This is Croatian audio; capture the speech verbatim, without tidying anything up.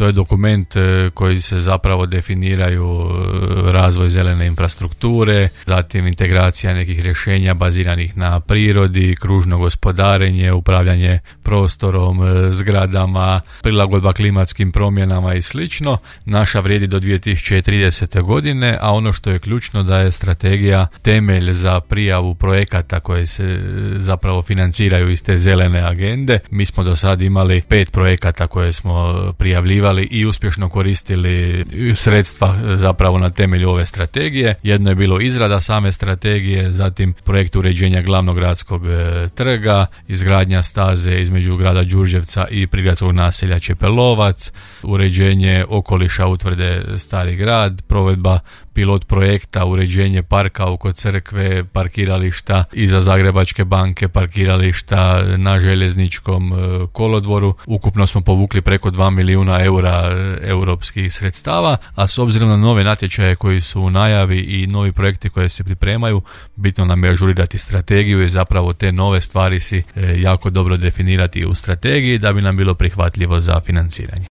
To je dokument koji se zapravo definiraju razvoj zelene infrastrukture, zatim integracija nekih rješenja baziranih na prirodi, kružno gospodarenje, upravljanje prostorom, zgradama, prilagodba klimatskim promjenama i slično. Naša vrijedi do dvije tisuće tridesete. godine, a ono što je ključno da je strategija temelj za prijavu projekata koje se zapravo financiraju iz te zelene agende. Mi smo do sad imali pet projekata koje smo prijavljivali i uspješno koristili sredstva zapravo na temelju ove strategije. Jedno je bilo izrada same strategije, zatim projekt uređenja glavnog gradskog trga, izgradnja staze između grada Đurđevca i prigradskog naselja Čepelovac, uređenje okoliša utvrde Stari grad, provedba pilot projekta, uređenje parka oko crkve, parkirališta iza Zagrebačke banke, parkirališta na željezničkom kolodvoru. Ukupno smo povukli preko dva milijuna eura europskih sredstava, a s obzirom na nove natječaje koji su u najavi i novi projekti koji se pripremaju, bitno nam je ažurirati strategiju i zapravo te nove stvari si jako dobro definirati u strategiji da bi nam bilo prihvatljivo za financiranje.